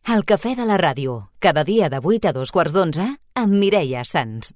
El cafè de la ràdio, cada dia de 8 a 2:15 amb Mireia Sans.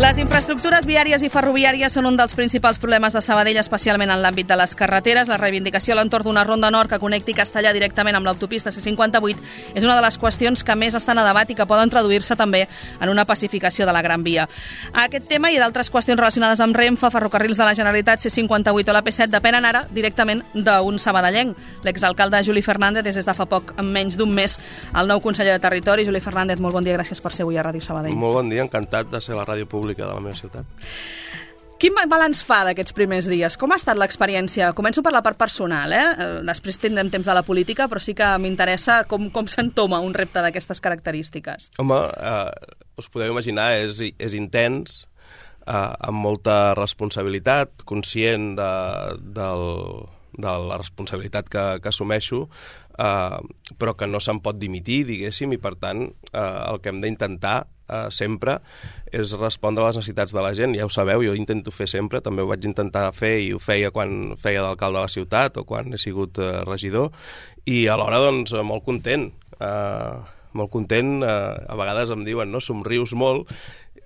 Les infraestructures viàries i ferroviàries són un dels principals problemes de Sabadell, especialment en l'àmbit de les carreteres. La reivindicació a l'entorn d'una ronda nord que connecti Castellar directament amb l'autopista C58 és una de les qüestions que més estan a debat i que poden traduir-se també en una pacificació de la Gran Via. Aquest tema i d'altres qüestions relacionades amb Renfe, Ferrocarrils de la Generalitat, C58 o la P7 depenen ara directament d'un sabadellenc. L'exalcalde Juli Fernández és des de fa poc, en menys d'un mes, el nou conseller de Territori. Juli Fernández, molt bon dia, gràcies per ser avui a Ràdio Sabadell. Molt bon dia, encantat de ser a la ràdio pública de la meva ciutat. Quin balanç fa d'aquests primers dies? Com ha estat l'experiència? Començo per la part personal, Després tindrem temps de la política, però sí que m'interessa com s'entoma un repte d'aquestes característiques. Home, us podeu imaginar, és intens, amb molta responsabilitat, conscient de la responsabilitat que assumeixo, però que no se'n pot dimitir, diguéssim, i per tant el que hem d'intentar sempre és respondre a les necessitats de la gent. Ja ho sabeu, jo intento fer sempre, també ho vaig intentar fer i ho feia quan feia d'alcalde de la ciutat o quan he sigut regidor, i alhora doncs molt content. A vegades em diuen, no, somrius molt,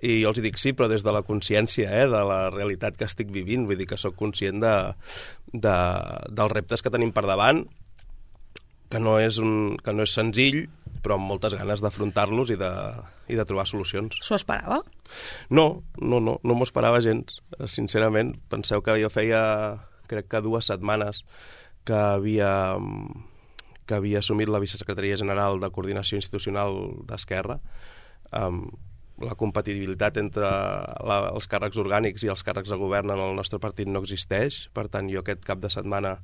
i jo els dic sí, però des de la consciència de la realitat que estic vivint, vull dir que sóc conscient dels reptes que tenim per davant, que no és senzill, però amb moltes ganes d'afrontar-los i de trobar solucions. S'ho esperava? No m'ho esperava gens, sincerament. Penseu que jo feia, crec que 2 setmanes que havia assumit la vicesecretaria general de Coordinació Institucional d'Esquerra. La compatibilitat entre els càrrecs orgànics i els càrrecs de govern en el nostre partit no existeix, per tant jo aquest cap de setmana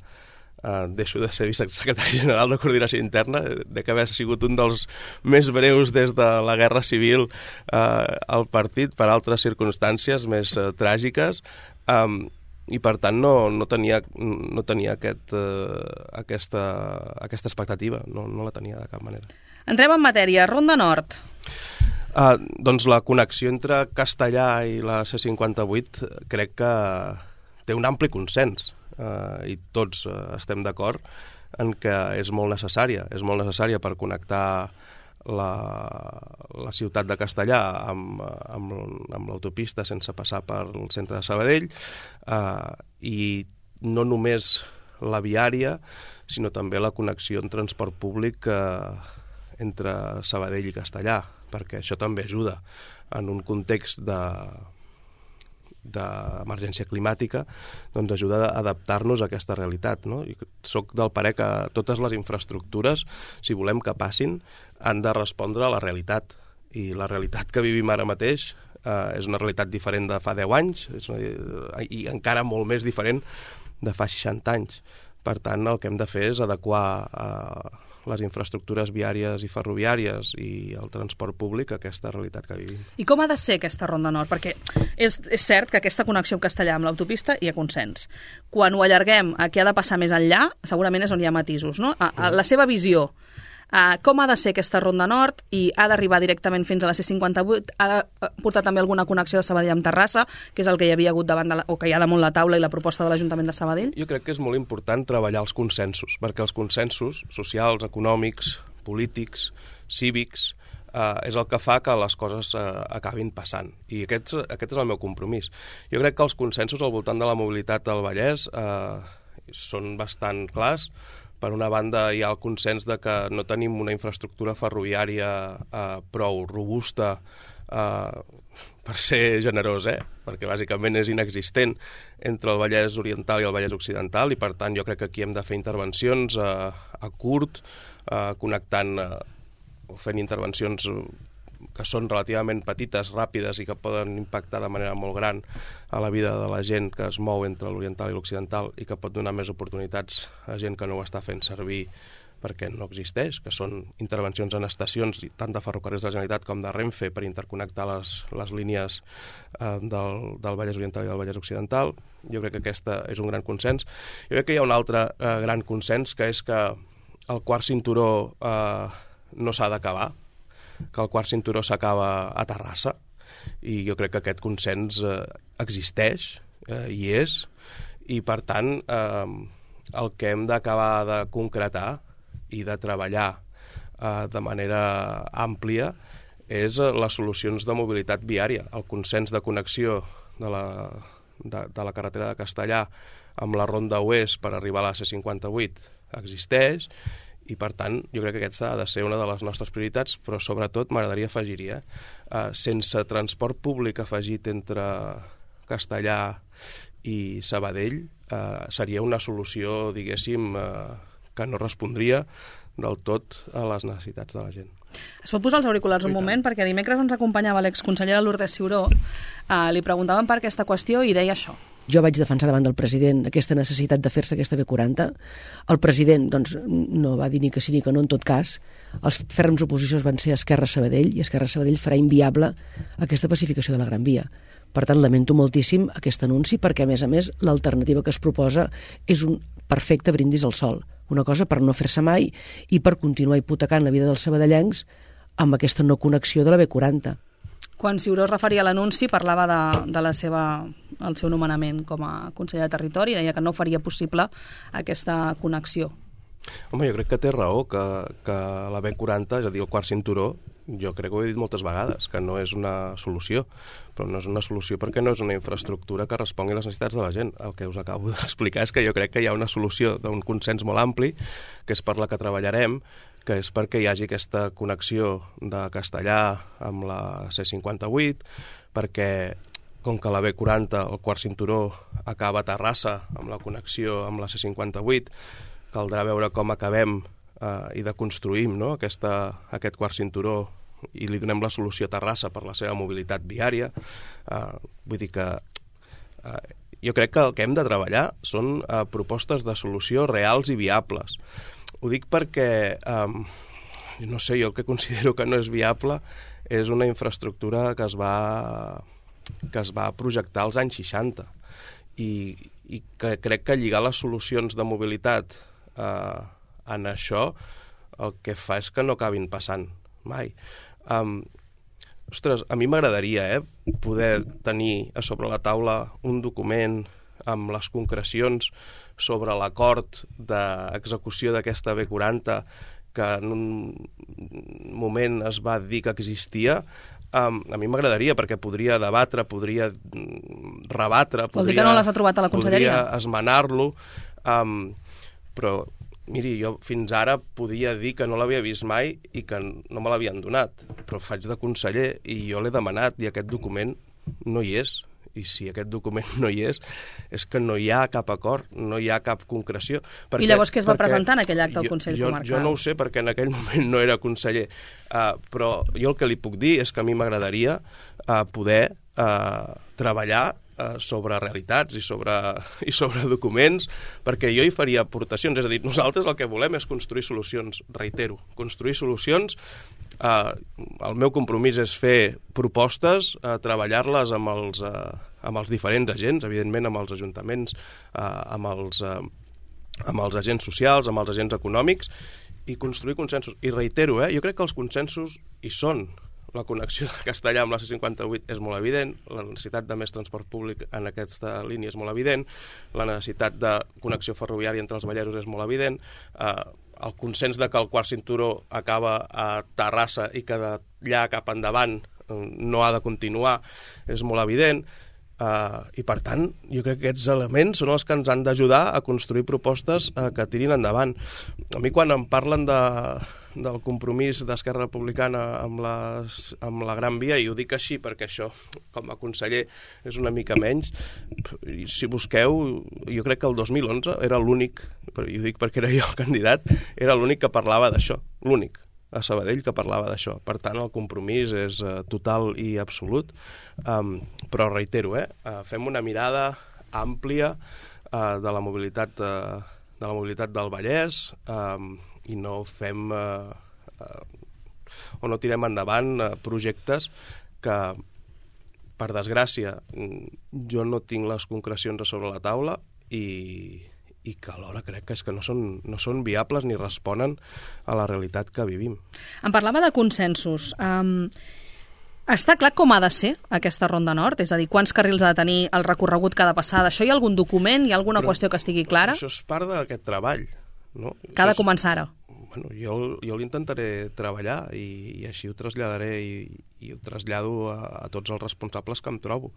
deixo de ser vicesecretari general de Coordinació Interna, de que haver sigut un dels més breus des de la Guerra Civil al partit per altres circumstàncies més tràgiques, i per tant no tenia aquesta expectativa, no la tenia de cap manera. Entrem en matèria. Ronda Nord. Doncs la connexió entre Castellar i la C58 crec que té un ampli consens, i tots estem d'acord en que és molt necessària per connectar la ciutat de Castellar amb l'autopista sense passar pel centre de Sabadell, i no només la viària, sinó també la connexió en transport públic entre Sabadell i Castellar, perquè això també ajuda en un context d'emergència climàtica, doncs ajuda a adaptar-nos a aquesta realitat, no? I soc del parer que totes les infraestructures, si volem que passin, han de respondre a la realitat. I la realitat que vivim ara mateix és una realitat diferent de fa 10 anys i encara molt més diferent de fa 60 anys. Per tant, el que hem de fer és adequar les infraestructures viàries i ferroviàries i el transport públic a aquesta realitat que vivim. I com ha de ser aquesta Ronda Nord? Perquè és cert que aquesta connexió amb Castellar amb l'autopista hi ha consens. Quan ho allarguem a què ha de passar més enllà, segurament és on hi ha matisos, no? A la seva visió, com ha de ser aquesta Ronda Nord i ha d'arribar directament fins a la C58? Ha de portar també alguna connexió de Sabadell amb Terrassa, que és el que hi havia hagut o que hi ha damunt la taula i la proposta de l'Ajuntament de Sabadell? Jo crec que és molt important treballar els consensos, perquè els consensos socials, econòmics, polítics, cívics, és el que fa que les coses acabin passant. I aquest és el meu compromís. Jo crec que els consensos al voltant de la mobilitat del Vallès són bastant clars. Per una banda, hi ha el consens de que no tenim una infraestructura ferroviària prou robusta, per ser generós, perquè bàsicament és inexistent entre el Vallès Oriental i el Vallès Occidental, i per tant jo crec que aquí hem de fer intervencions a curt, connectant o fent intervencions que són relativament petites, ràpides i que poden impactar de manera molt gran a la vida de la gent que es mou entre l'oriental i l'occidental i que pot donar més oportunitats a gent que no ho està fent servir perquè no existeix, que són intervencions en estacions tant de ferrocarrils de la Generalitat com de Renfe per interconnectar les línies del Vallès Oriental i del Vallès Occidental. Jo crec que aquesta és un gran consens. Jo crec que hi ha un altre gran consens, que és que el quart cinturó no s'ha d'acabar, que el quart cinturó s'acaba a Terrassa, i jo crec que aquest consens existeix, hi és, i per tant el que hem d'acabar de concretar i de treballar de manera àmplia és les solucions de mobilitat viària. El consens de connexió de la carretera de Castellar amb la Ronda Oest per arribar a la C58 existeix, i per tant jo crec que aquesta ha de ser una de les nostres prioritats, però sobretot m'agradaria afegir-hi, sense transport públic afegit entre Castellar i Sabadell seria una solució, diguéssim, que no respondria del tot a les necessitats de la gent. Es pot posar els auriculars un moment, perquè dimecres ens acompanyava l'exconsellera Lourdes Ciuró, li preguntàvem per aquesta qüestió i deia això. Jo vaig defensar davant del president aquesta necessitat de fer-se aquesta B40. El president doncs, no va dir ni que sí ni que no en tot cas. Els ferms oposicions van ser Esquerra Sabadell, i Esquerra Sabadell farà inviable aquesta pacificació de la Gran Via. Per tant, lamento moltíssim aquest anunci, perquè, a més, l'alternativa que es proposa és un perfecte brindis al sol. Una cosa per no fer-se mai i per continuar hipotecant la vida dels sabadellencs amb aquesta no connexió de la B40. Quan Ciuró es referia a l'anunci, parlava del seu nomenament com a conseller de Territori, deia que no faria possible aquesta connexió. Home, jo crec que té raó, que la B40, és a dir, el quart cinturó, jo crec que ho he dit moltes vegades, que no és una solució, però no és una solució perquè no és una infraestructura que respongui a les necessitats de la gent. El que us acabo d'explicar és que jo crec que hi ha una solució d'un consens molt ampli, que és per la que treballarem, que és perquè hi hagi aquesta connexió de Castellar amb la C58, perquè com que la B40, el quart cinturó, acaba a Terrassa amb la connexió amb la C58, caldrà veure com acabem i deconstruïm, no? aquest quart cinturó i li donem la solució a Terrassa per la seva mobilitat viària. Vull dir que jo crec que el que hem de treballar són propostes de solució reals i viables. Ho dic perquè, no sé, jo el que considero que no és viable és una infraestructura que es va projectar als anys 60 i que crec que lligar les solucions de mobilitat en això el que fa és que no acabin passant mai. Ostres, a mi m'agradaria poder tenir a sobre la taula un document amb les concrecions sobre l'acord d'execució d'aquesta B40 que en un moment es va dir que existia. A mi m'agradaria, perquè podria debatre, podria rebatre, Vol dir que no les ha trobat a la conselleria? Podria esmenar-lo, però miri, jo fins ara podia dir que no l'havia vist mai i que no me l'havien donat, però faig de conseller i jo l'he demanat i aquest document no hi és. I si aquest document no hi és que no hi ha cap acord, no hi ha cap concreció. I llavors què es va presentar en aquell acte al Consell Comarcal? Jo no ho sé, perquè en aquell moment no era conseller, però jo el que li puc dir és que a mi m'agradaria poder treballar sobre realitats i sobre documents, perquè jo hi faria aportacions. És a dir, nosaltres el que volem és construir solucions, reitero, construir solucions. El meu compromís és fer propostes, treballar-les amb els diferents agents, evidentment amb els ajuntaments, amb els agents socials, amb els agents econòmics, i construir consensos. I reitero, jo crec que els consensos hi són. La connexió de Castellar amb la C58 és molt evident, la necessitat de més transport públic en aquesta línia és molt evident, la necessitat de connexió ferroviària entre els Vallesos és molt evident, el consens de que el quart cinturó acaba a Terrassa i que d'allà cap endavant no ha de continuar és molt evident, i per tant jo crec que aquests elements són els que ens han d'ajudar a construir propostes que tirin endavant. A mi quan em parlen del compromís d'Esquerra Republicana amb la Gran Via, i ho dic així perquè això com a conseller és una mica menys, si busqueu, jo crec que el 2011 era l'únic, però jo dic perquè era jo el candidat, era l'únic que parlava d'això, l'únic a Sabadell que parlava d'això. Per tant, el compromís és total i absolut, però reitero, fem una mirada àmplia de la mobilitat del Vallès, no fem o no tirem endavant projectes que, per desgràcia, jo no tinc les concrecions a sobre la taula i que alhora crec que és que no són viables ni responen a la realitat que vivim. Em parlava de consensos. Està clar com ha de ser aquesta Ronda Nord? És a dir, quants carrils ha de tenir, el recorregut que ha de passar? D'això hi ha algun document? Hi ha alguna qüestió que estigui clara? Això és part d'aquest treball, no? Que ha de començar ara. Bueno, jo l'intentaré treballar i així ho traslladaré i ho trasllado a tots els responsables que em trobo.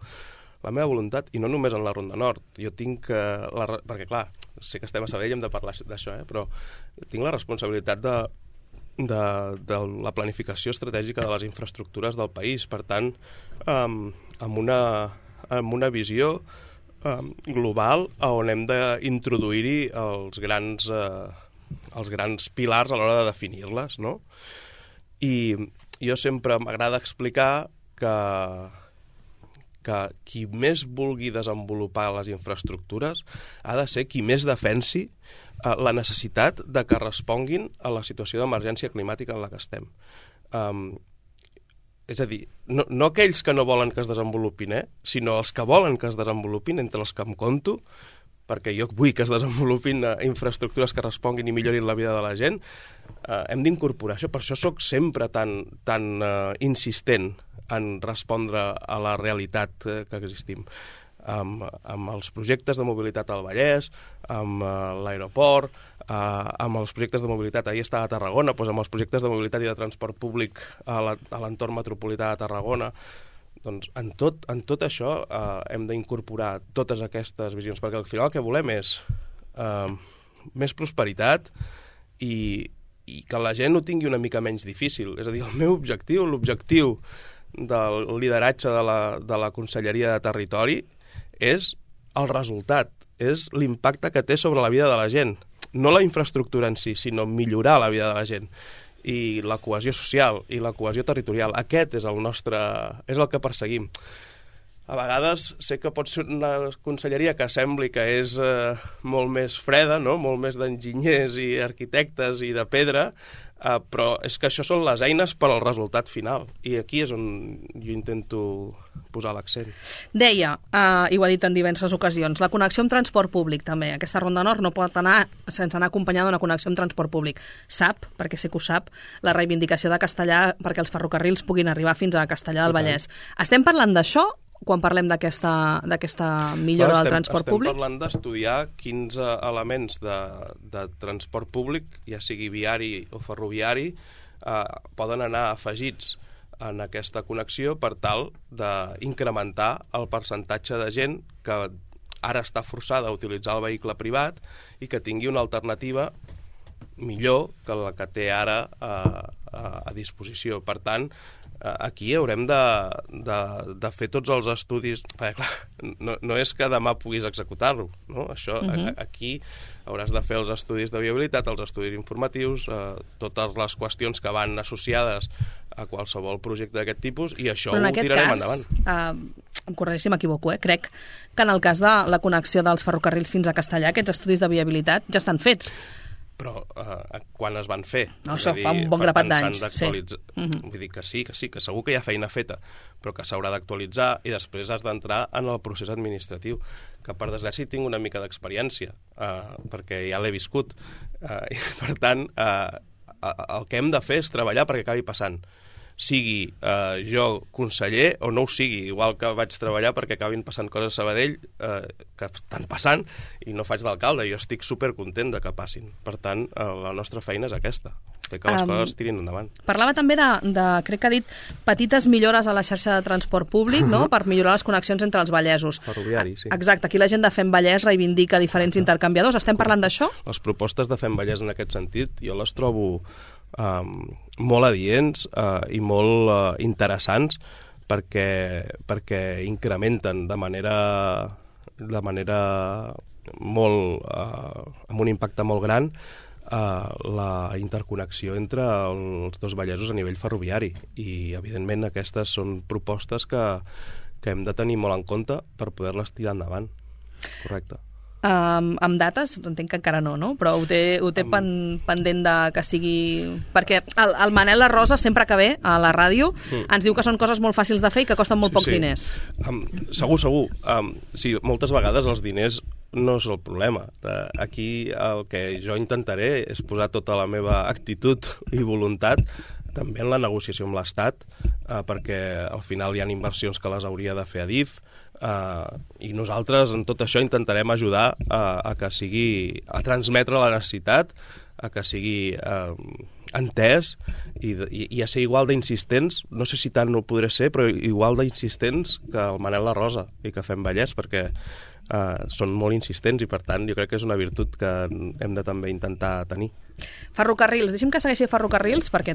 La meva voluntat, i no només en la Ronda Nord, jo tinc perquè clar, sé que estem a Sabadell i hem de parlar d'això, però tinc la responsabilitat de la planificació estratègica de les infraestructures del país, per tant, amb una visió global on hem d'introduir-hi els grans pilars a l'hora de definir-les, no? I jo sempre m'agrada explicar que qui més vulgui desenvolupar les infraestructures ha de ser qui més defensi la necessitat de que responguin a la situació d'emergència climàtica en la que estem. És a dir, no aquells que no volen que es desenvolupin, sinó els que volen que es desenvolupin, entre els que em compto, perquè jo vull que es desenvolupin infraestructures que responguin i millorin la vida de la gent, hem d'incorporar això. Per això soc sempre tan insistent en respondre a la realitat que existim. Amb els projectes de mobilitat al Vallès, amb l'aeroport, amb els projectes de mobilitat, ahir estava a Tarragona, doncs amb els projectes de mobilitat i de transport públic a l'entorn metropolità de Tarragona. Doncs en tot això hem d'incorporar totes aquestes visions, perquè al final el que volem és més prosperitat i que la gent ho tingui una mica menys difícil. És a dir, el meu objectiu, l'objectiu del lideratge de la Conselleria de Territori és el resultat, és l'impacte que té sobre la vida de la gent. No la infraestructura en si, sinó millorar la vida de la gent. I la cohesió social i la cohesió territorial. Aquest és el que perseguim. A vegades sé que pot ser una conselleria que sembli que és molt més freda, no? Molt més d'enginyers i arquitectes i de pedra, però és que això són les eines per al resultat final. I aquí és on jo intento posar l'accent. Deia, i ho ha dit en diverses ocasions, la connexió amb transport públic també. Aquesta Ronda Nord no pot anar sense anar acompanyada d'una connexió amb transport públic. Sap, perquè sé que ho sap, la reivindicació de Castellar perquè els ferrocarrils puguin arribar fins a Castellar del Vallès. Estem parlant d'això quan parlem d'aquesta millora del transport públic? Estem parlant d'estudiar quins elements de transport públic, ja sigui viari o ferroviari, poden anar afegits en aquesta connexió per tal d'incrementar el percentatge de gent que ara està forçada a utilitzar el vehicle privat i que tingui una alternativa millor que la que té ara a disposició. Per tant, aquí haurem de fer tots els estudis, perquè clar, no és que demà puguis executar-lo, no? Això, aquí hauràs de fer els estudis de viabilitat, els estudis informatius, totes les qüestions que van associades a qualsevol projecte d'aquest tipus, i això ho tirarem endavant. Em corregeixi si m'equivoco, crec que en el cas de la connexió dels ferrocarrils fins a Castellar, aquests estudis de viabilitat ja estan fets. Però quan es van fer? No, això fa un bon grapat d'anys. Vull dir que sí, que segur que hi ha feina feta, però que s'haurà d'actualitzar i després has d'entrar en el procés administratiu, que per desgràcia tinc una mica d'experiència, perquè ja l'he viscut. I, per tant, el que hem de fer és treballar perquè acabi passant. Sigui jo conseller o no ho sigui, igual que vaig treballar perquè acabin passant coses a Sabadell que estan passant i no faig d'alcalde, jo estic supercontent de que passin. Per tant, la nostra feina és aquesta, fer que les coses tirin endavant. Parlava també crec que ha dit, petites millores a la xarxa de transport públic, no?, per millorar les connexions entre els vallesos. Ferroviari, sí. Exacte, aquí la gent de Fem Vallès reivindica diferents intercanviadors. Estem parlant d'això? Les propostes de Fem Vallès en aquest sentit jo les trobo molt adients i molt interessants perquè incrementen de manera molt amb un impacte molt gran la interconnexió entre els dos vallesos a nivell ferroviari, i evidentment aquestes són propostes que hem de tenir molt en compte per poder-les tirar endavant. Correcte. Amb dates, entenc que encara no, no? Però ho té pendent de que sigui... Perquè el Manel La Rosa, sempre que ve a la ràdio, ens diu que són coses molt fàcils de fer i que costen molt pocs diners. Segur. Sí, moltes vegades els diners no és el problema. Aquí el que jo intentaré és posar tota la meva actitud i voluntat també en la negociació amb l'Estat, perquè al final hi ha inversions que les hauria de fer Adif, i nosaltres en tot això intentarem ajudar a que sigui, a transmetre la necessitat, a que sigui entès i a ser igual d'insistents, no sé si tant no podré ser, però igual d'insistents que el Manel La Rosa i que Fem Vallès, perquè són molt insistents i per tant jo crec que és una virtut que hem de també intentar tenir. Ferrocarrils, deixi'm que segueixi Ferrocarrils perquè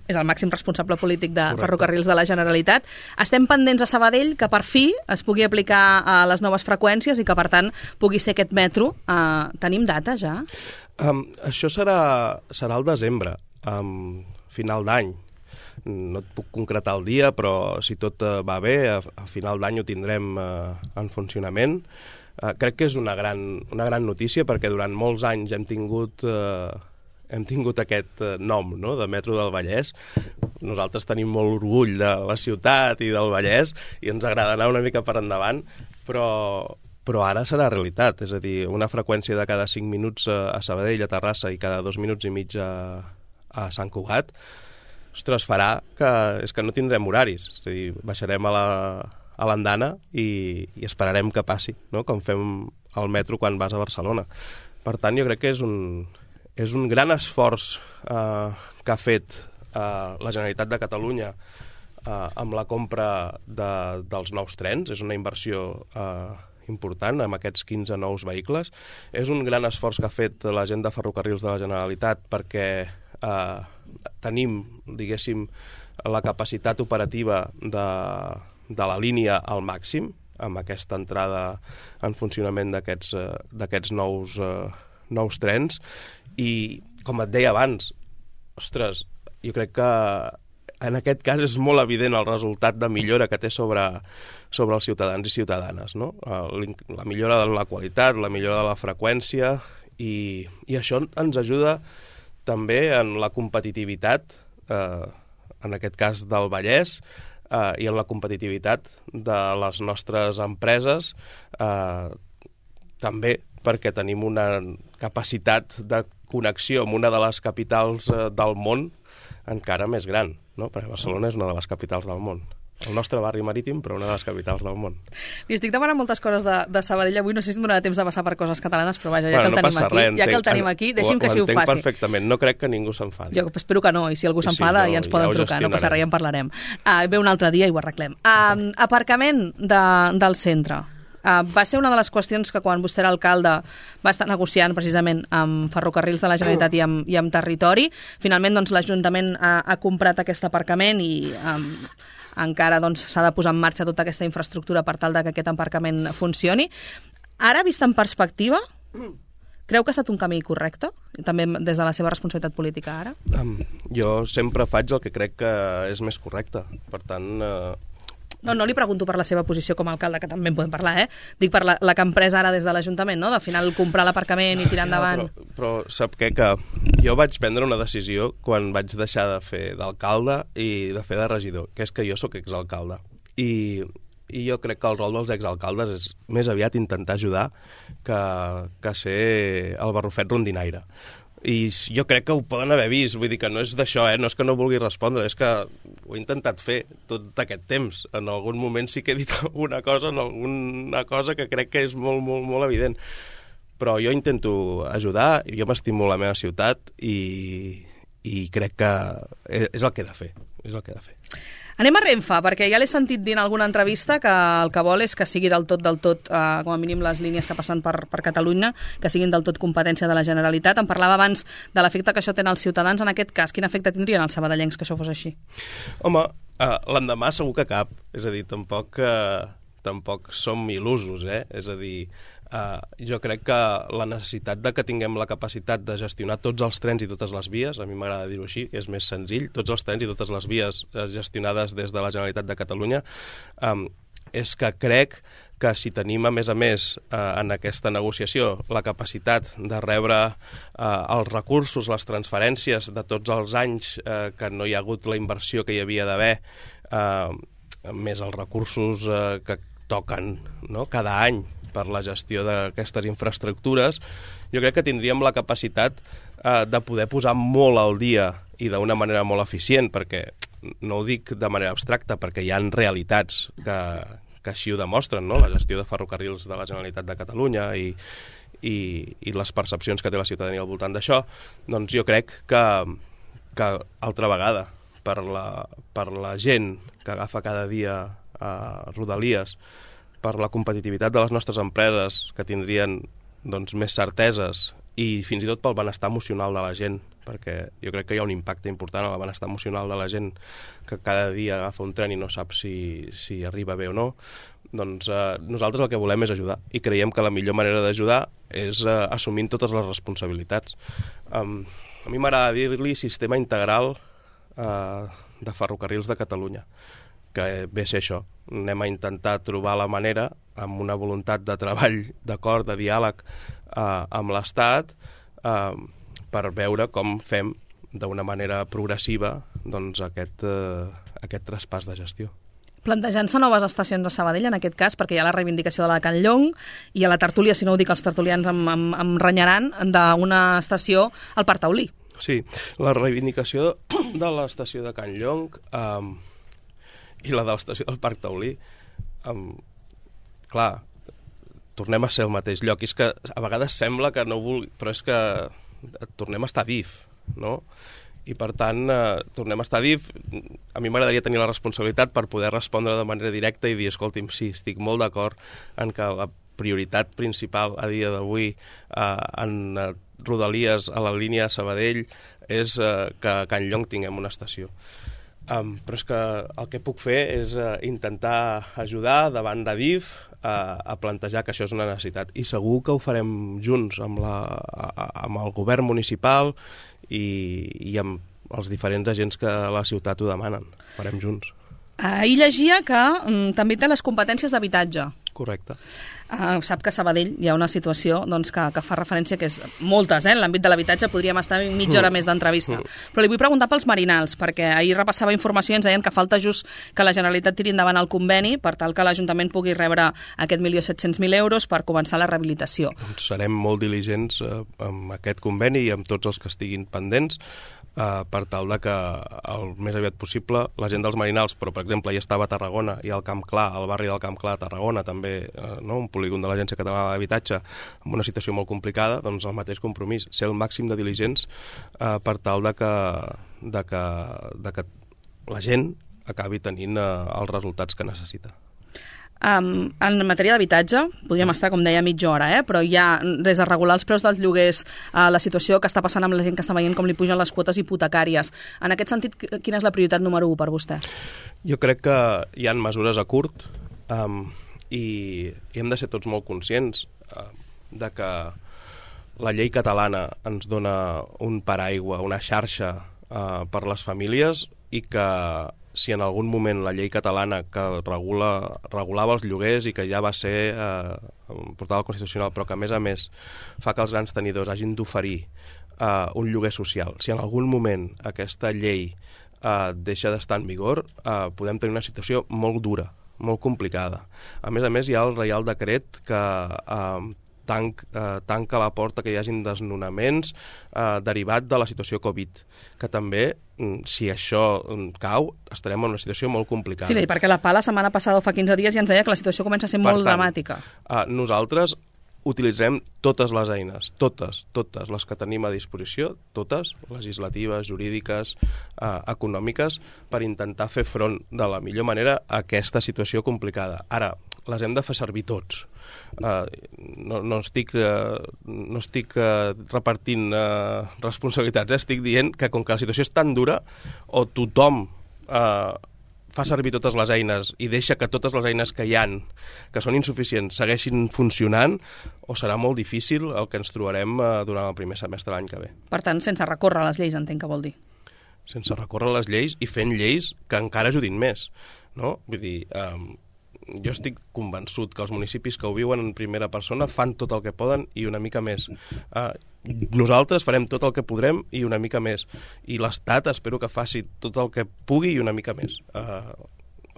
és el màxim responsable polític de Ferrocarrils de la Generalitat. Estem pendents a Sabadell que per fi es pugui aplicar a les noves freqüències i que per tant pugui ser aquest metro. Tenim data ja? Això serà al desembre, final d'any. No et puc concretar el dia, però si tot va bé, a final d'any ho tindrem en funcionament. Crec que és una gran notícia perquè durant molts anys hem tingut aquest nom, no?, de Metro del Vallès. Nosaltres tenim molt orgull de la ciutat i del Vallès i ens agrada anar una mica per endavant, però ara serà realitat. És a dir, una freqüència de cada 5 minuts a Sabadell, a Terrassa, i cada 2 minuts i mig a Sant Cugat, ostres, farà que no tindrem horaris. És a dir, baixarem a l'andana i esperarem que passi, no?, com fem al metro quan vas a Barcelona. Per tant, jo crec que és un gran esforç que ha fet la Generalitat de Catalunya amb la compra dels nous trens. És una inversió important amb aquests 15 nous vehicles. És un gran esforç que ha fet la gent de Ferrocarrils de la Generalitat perquè tenim, diguéssim, la capacitat operativa de la línia al màxim amb aquesta entrada en funcionament d'aquests nous trens. I, com et deia abans, ostres, jo crec que en aquest cas és molt evident el resultat de millora que té sobre els ciutadans i ciutadanes, no? La millora de la qualitat, la millora de la freqüència, i això ens ajuda també en la competitivitat, en aquest cas del Vallès, i en la competitivitat de les nostres empreses, també perquè tenim una capacitat de connexió amb una de les capitals del món encara més gran, no? Perquè Barcelona és una de les capitals del món. El nostre barri marítim, però una de les capitals del món. Li estic demanant moltes coses de Sabadell avui, no sé si em donarà temps de passar per coses catalanes, però vaja, ja que el tenim aquí, deixi'm que si ho faci. Ho entenc perfectament, no crec que ningú s'enfadi. Jo espero que no, i si algú s'enfada ja ens poden trucar, no passa res, ja en parlarem. Ve un altre dia i ho arreglem. Aparcament del centre. Va ser una de les qüestions que quan vostè era alcalde va estar negociant precisament amb Ferrocarrils de la Generalitat i amb Territori. Finalment doncs, l'Ajuntament ha comprat aquest aparcament i encara doncs, s'ha de posar en marxa tota aquesta infraestructura per tal que aquest aparcament funcioni. Ara, vist en perspectiva, creu que ha estat un camí correcte? També des de la seva responsabilitat política ara? Jo sempre faig el que crec que és més correcte. Per tant... No li pregunto per la seva posició com a alcalde, que també en podem parlar, Dic per la que han pres ara des de l'Ajuntament, no? De final comprar l'aparcament i tirar endavant. Però sap què? Que jo vaig prendre una decisió quan vaig deixar de fer d'alcalde i de fer de regidor, que és que jo sóc exalcalde. I jo crec que el rol dels exalcaldes és més aviat intentar ajudar que ser el barrufet rondinaire. I jo crec que ho poden haver vist, vull dir que no és d'això, no és que no vulgui respondre, és que ho he intentat fer tot aquest temps. En algun moment sí que he dit alguna cosa que crec que és molt, molt, molt evident. Però jo intento ajudar, jo m'estimo la meva ciutat i crec que és el que he de fer, Anem a Renfe, perquè ja l'he sentit dir en alguna entrevista que el que vol és que sigui del tot, com a mínim les línies que passen per Catalunya, que siguin del tot competència de la Generalitat. Em parlava abans de l'efecte que això té als ciutadans. En aquest cas, quin efecte tindrien els sabadellencs que això fos així? Home, l'endemà segur que cap. És a dir, tampoc som il·lusos, És a dir, jo crec que la necessitat de que tinguem la capacitat de gestionar tots els trens i totes les vies, a mi m'agrada dir-ho així, que és més senzill, tots els trens i totes les vies gestionades des de la Generalitat de Catalunya, és que crec que si tenim, a més, en aquesta negociació la capacitat de rebre els recursos, les transferències de tots els anys que no hi ha hagut la inversió que hi havia d'haver, més els recursos que toquen, no?, cada any per la gestió d'aquestes infraestructures, jo crec que tindríem la capacitat de poder posar molt al dia i d'una manera molt eficient, perquè no ho dic de manera abstracta, perquè hi ha realitats que així ho demostren, no?, la gestió de ferrocarrils de la Generalitat de Catalunya i les percepcions que té la ciutadania al voltant d'això. Doncs jo crec que altra vegada, per la gent que agafa cada dia Rodalies, per la competitivitat de les nostres empreses, que tindrien doncs, més certeses, i fins i tot pel benestar emocional de la gent, perquè jo crec que hi ha un impacte important en el benestar emocional de la gent que cada dia agafa un tren i no sap si arriba bé o no. Doncs nosaltres el que volem és ajudar, i creiem que la millor manera d'ajudar és assumint totes les responsabilitats. A mi m'agrada dir-li sistema integral de ferrocarrils de Catalunya, que ve a ser això. Anem a intentar trobar la manera, amb una voluntat de treball, d'acord, de diàleg amb l'Estat, per veure com fem d'una manera progressiva doncs, aquest traspàs de gestió. Plantejant-se noves estacions de Sabadell, en aquest cas, perquè hi ha la reivindicació de la Can Llong i a la tertúlia, si no ho dic, els tertulians em renyaran, d'una estació al Parc Taulí. Sí, la reivindicació de l'estació de Can Llong i la de l'estació del Parc Taulí, clar, tornem a ser al mateix lloc. És que a vegades sembla que no vulgui, però és que tornem a estar DIF, no? I per tant, tornem a estar DIF. A mi m'agradaria tenir la responsabilitat per poder respondre de manera directa i dir, escolti'm, sí, estic molt d'acord en que la prioritat principal a dia d'avui en Rodalies a la línia Sabadell és que a Can Llong tinguem una estació. Però és que el que puc fer és intentar ajudar davant de DIF a plantejar que això és una necessitat, i segur que ho farem junts amb el govern municipal i amb els diferents agents que a la ciutat ho demanen. Ho farem junts. Ahir llegia que també té les competències d'habitatge. Correcte. Sap que a Sabadell hi ha una situació doncs, que fa referència, que és moltes, en l'àmbit de l'habitatge podríem estar mitja hora més d'entrevista. Però li vull preguntar pels Marinals, perquè ahir repassava informació i ens deien que falta just que la Generalitat tiri endavant el conveni per tal que l'Ajuntament pugui rebre aquest 1.700.000 euros per començar la rehabilitació. Doncs serem molt diligents amb aquest conveni i amb tots els que estiguin pendents, per tal de que el més aviat possible la gent dels Marinals, però per exemple hi estava a Tarragona i al Camp Clar, al barri del Camp Clar a Tarragona també, un polígon de l'Agència Catalana d'Habitatge amb una situació molt complicada, doncs el mateix compromís, ser el màxim de diligents per tal de que la gent acabi tenint els resultats que necessita. En matèria d'habitatge, podríem estar, com deia, mitja hora, però hi ha, des de regular els preus dels lloguers, la situació que està passant amb la gent que està veient com li pugen les quotes hipotecàries. En aquest sentit, quina és la prioritat número 1 per vostè? Jo crec que hi ha mesures a curt i hem de ser tots molt conscients de que la llei catalana ens dona un paraigua, una xarxa per les famílies, i que si en algun moment la llei catalana que regulava els lloguers i que ja va ser portada al Constitucional, però que a més fa que els grans tenidors hagin d'oferir un lloguer social, si en algun moment aquesta llei deixa d'estar en vigor, podem tenir una situació molt dura, molt complicada. A més, hi ha el Reial Decret que tanca la porta que hi hagin desnonaments derivat de la situació Covid, que també, si això cau, estarem en una situació molt complicada. Sí, perquè la PA la setmana passada o fa 15 dies ja ens deia que la situació comença a ser molt dramàtica. Nosaltres utilitzem totes les eines, totes les que tenim a disposició, totes, legislatives, jurídiques, econòmiques, per intentar fer front de la millor manera a aquesta situació complicada. Ara, les hem de fer servir tots. No estic repartint responsabilitats, estic dient que com que la situació és tan dura, o tothom fa servir totes les eines i deixa que totes les eines que hi ha, que són insuficients, segueixin funcionant, o serà molt difícil el que ens trobarem durant el primer semestre de l'any que ve. Per tant, sense recórrer a les lleis, entenc que vol dir. Sense recórrer a les lleis i fent lleis que encara ajudin més, no? Vull dir, jo estic convençut que els municipis que ho viuen en primera persona fan tot el que poden i una mica més. Nosaltres farem tot el que podrem i una mica més. I l'Estat espero que faci tot el que pugui i una mica més.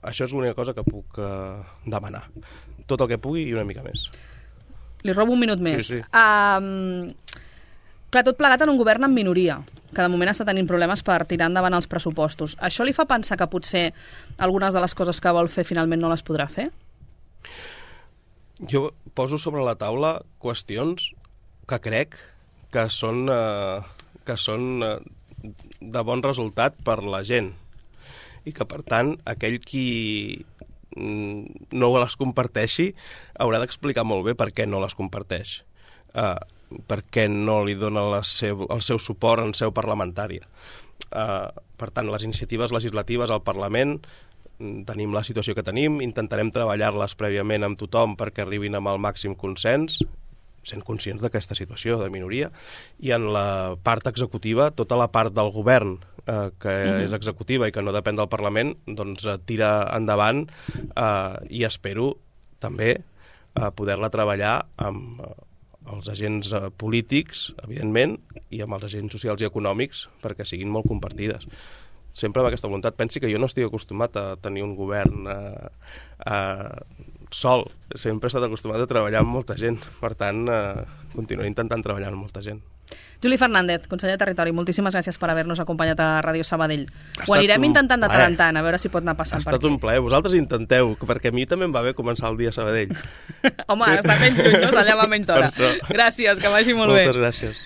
Això és l'única cosa que puc demanar. Tot el que pugui i una mica més. Li robo un minut més. Sí. Clar, tot plegat en un govern en minoria, que de moment està tenint problemes per tirar endavant els pressupostos. Això li fa pensar que potser algunes de les coses que vol fer finalment no les podrà fer? Jo poso sobre la taula qüestions que crec que són de bon resultat per la gent i que, per tant, aquell qui no les comparteixi haurà d'explicar molt bé per què no les comparteix, per què no li dona el seu suport en seu parlamentària. Per tant, les iniciatives legislatives al Parlament, tenim la situació que tenim, intentarem treballar-les prèviament amb tothom perquè arribin amb el màxim consens, sent conscients d'aquesta situació de minoria, i en la part executiva, tota la part del govern que és executiva i que no depèn del Parlament, doncs tira endavant i espero també poder-la treballar amb els agents polítics, evidentment, i amb els agents socials i econòmics perquè siguin molt compartides. Sempre amb aquesta voluntat. Pensi que jo no estic acostumat a tenir un govern sol. Sempre he estat acostumat a treballar amb molta gent. Per tant, continuaré intentant treballar amb molta gent. Juli Fernández, conseller de Territori, moltíssimes gràcies per haver-nos acompanyat a Ràdio Sabadell. Ho anirem intentant de tant en tant, a veure si pot anar passant per aquí. Ha estat un plaer. Vosaltres intenteu, perquè a mi també em va bé començar el dia a Sabadell. Home, està menys lluny, no? Allà va menys d'hora. Gràcies, que vagi molt bé. Moltes gràcies.